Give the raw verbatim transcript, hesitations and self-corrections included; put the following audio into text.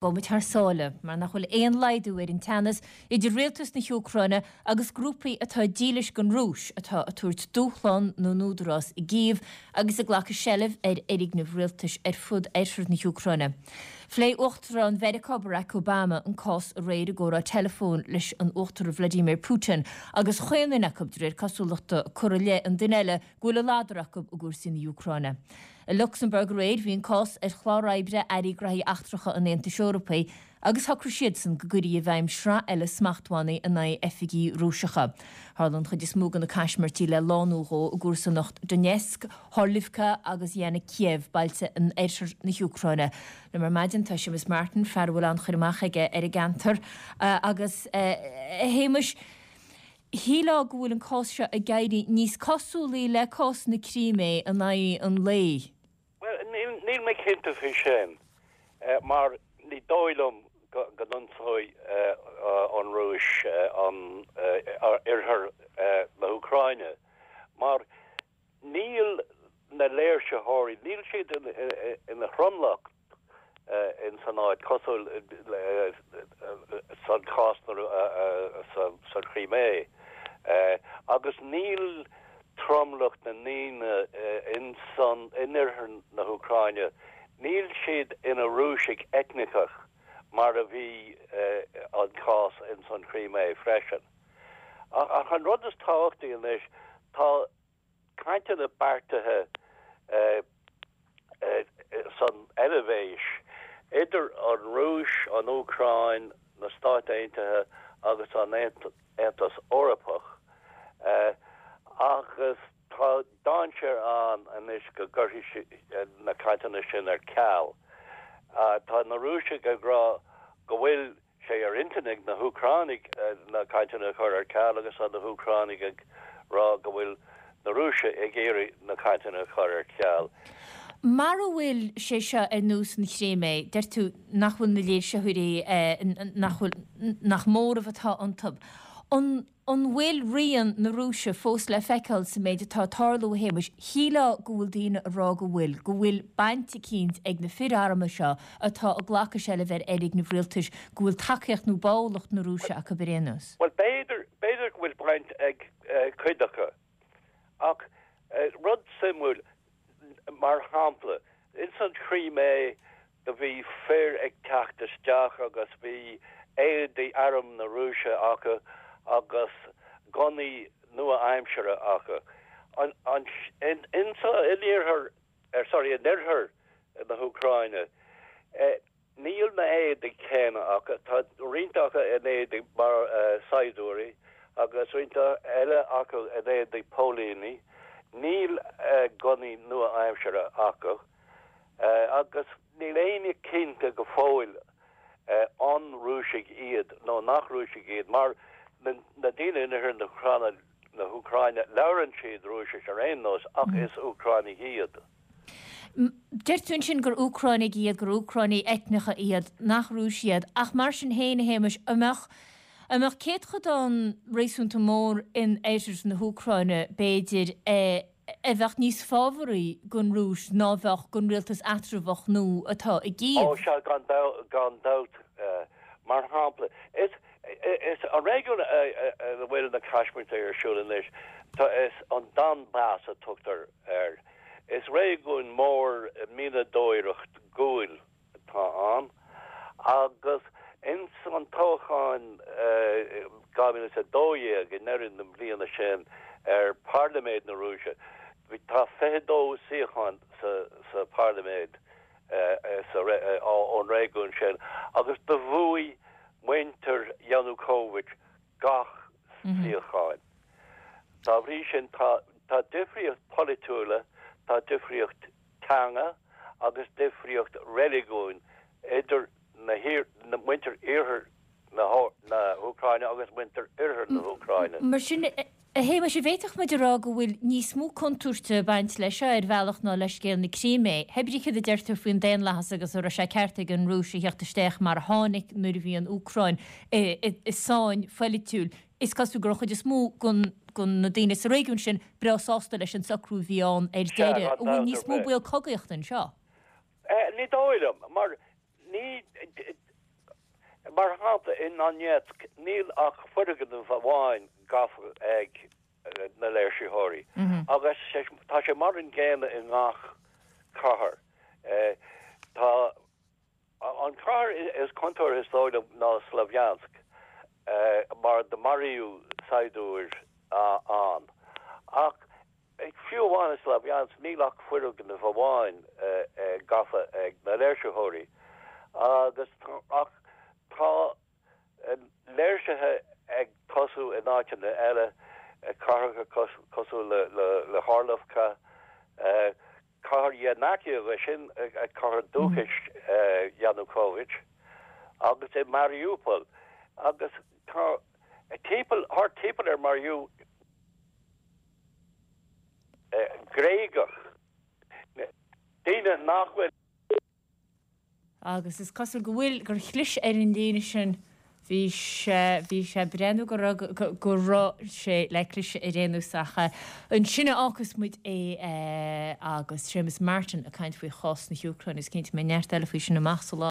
Gabhfaidh muid thar sáile, mar nach bhfuil aon laghdú ar an teannas idir rialtas na hÚcráine agus grúpaí atá dílis don Rúis atá ag tabhairt dúshlán na n-údarás i gCív agus ag glacadh seilbh ar fhoirgnimh rialtais ar fud oirthear na hÚcráine. Phléigh Uachtarán Mheiriceá Barack Obama an cás aréir i gcomhrá teileafóin leis an Uachtarán Vladimir Putin agus chaon duine acu, de réir cosúlachta, ag cur i leith an duine eile go bhfuil a ladar acu i gcúrsaí na hÚcráine. I Lucsamburg aréir bhí an cás ar chlár oibre Airí Graithí Eachtracha an Aontais Eorpaigh agus shocraigh siadsan go gcuirfí i bhfeidhm sraith eile smachtbhannaí in aghaidh oifigí Rúiseacha. Tharla an chuid is mó de na caismirtí le lá nó dhó i gcomharsanacht Donetsk, Horlivka agus Yenakiieve, bailte in oirthear na hÚcráine. Liom ar maidin tá Séamus Martin, fear a bhfuil an-chur amach aige ar an gceantar agus, a Shéamais, Shílfeá go bhfuil an cás seo ag éirí níos cosúlaí le cás na Crímé in aghaidh an lae. Bhuel, níl mé cinnte faoi sin, mar ní dóigh liom go n-ionsóidh an Rúis an oirthear na hÚcráine, mar níl na léirsitheoirí, níl siad ina thromlach in san áit, cosúil san chás san Chrimé. Agus níl tromlach na ndaoine in san in oirthear na hÚcráine, níl siad ina Rúisigh eitneacha mar a bhí an cás in san Chrimé freisin. Ach an rud is tábhachtaí anois, tá cainteanna beartaithe san Eilvéis idir an Rúis, an Úcráin, na Stáit Aontaithe agus an Aontas Eorpach agus tá dainséar ann anois go gcuirfidh na cainteanna sin ar ceal. Tá na Rúisigh ag rá go bhfuil sé ar intinn ag na hÚcránaigh na cainteanna a chur ar ceal agus tá na hÚcránaigh ag rá go bhfuil na Rúisigh ag iarraidh na cainteanna a chur ar ceal. Mara bhfuil sé seo ar nós na Crimé, deir tú nach bhfuil na léirsitheoirí, nach bhfuil, nach móramh atá iontu. An. An bhfuil rian na Rúise fós le feiceáil sa méid atá ag tarlú, a Shéamais? Shílfeá go bhfuil daoine ag rá go bhfuil, go bhfuil baint eicínt ag na fir armtha seo atá ag glacadh seilbh ar fhoirgnimh rialtais, go bhfuil tacaíocht nó báúlacht na Rúise acu ar aon nós. Bhuel, b'fhéidir, b'fhéidir go bhfuil baint ag cuid acu. Ach rud suimiúil, mar shampla, ins an Chrimé do bhí fir ag teacht isteach agus bhí éadaí arm na Rúise acu agus gunnaí nua-aimseartha acu. An, an, in, in, in iarthar, er, sorry, in oirthear na hÚcráine, eh, Níl na héadaí céanna acu. Tá roinnt acu in éadaí mar saighdiúirí agus roinnt eile acu in éadaí póilíní. Níl gunnaí nua-aimseartha acu agus níl éinne cinnte go fóill an Rúisigh iad nó nach Rúisigh iad mar na daoine in oirthear na hÚcráine, labhrann siad Rúisis ar aon nós ach is Úcránaigh iad. Deir tú ansin gur Úcránaigh iad, gur Úcránaigh eitneacha iad, nach Rúisigh iad, ach mar sin féin, a Shéamais, an mbeadh, an mbeadh céatadán réasúnta mór in oirthear na hÚcráine, b'fhéidir, a bheadh níos fábharaí don Rúis ná a bheadh don rialtas eatramhach nua atá i gCív? Ó sea, gan gan dabht. Mar shampla, is, is an réigiún ina bhfuil na caismirtí ar siúl anois, tá, is an Donbas a tugtar air. Is réigiún mór mianadóireacht guail atá ann agus ins an toghchán dhá mhíle is a dó dhéag i ndeireadh na bliana sin ar Phairliméid na Rúise, tá fiche dó suíochán sa Phairliméid ón réigiún sin agus do bhuaigh muintir Yanukovych gach suíochán. Dá bhrí sin, tá tá difríocht polaitiúla, tá difríocht teanga agus difríocht reiligiúin idir na na muintir iarthar na na hÚcráine agus muintir oirthear na hÚcráine. Mar sin, a Shéamais, an bhféadfadh muid a rá go bhfuil níos mó contúirte ag baint leis seo ar bhealach ná le scéal na Crímé. Hé brí céard a deirtear faoin daonlathas agus an raibh sé ceart ag an Rúis a theacht isteach mar a tháinig nuair a bhí an Úcráin i sáinn phoilitiúil. Is cosúil go raibh an chuid is mó de na daoine sa réigiún sin breá sásta leis an socrú a bhí ann ar Sea, deireadh. gan An bhfuil dabht níos ar mó bith. baol cogaíochta anseo? Ní dóigh liom, mar ní Mar shampla, i nDonetsk níl ach foirgneamh amháin gafa ag na léirsitheoirí agus tá sé mar an gcéanna i ngach cathair. Tá an cathair is contúirtí is dóigh liom ná Slavyansk mar do maraíodh saighdiúir ann. Ach fiú amháin i Slavyansk níl ach foirgneamh amháin gafa ag na léirsitheoirí agus ach tá léirsithe ag tosú in áiteanna eile, cathracha cosúil le le Horlovka, cathair Yenakiieve, sin cathair dúchais Yanukovych, agus i Mariupol agus tá timpeall thart timpeall ar Mariupol Gréagach, daoine nach bhfuil. Agus is cosúil go bhfuil, gur chlis ar an líne sin. Bhí sé, bhí sé ag breathnú go raibh, go raibh sé le cliseadh ar aon nós ach ansin a fhágfas muid é agus Séamus Martin ag caint faoi chás na hÚcráine is cinnte go mbeidh neart eile faoi sin amach sa lá.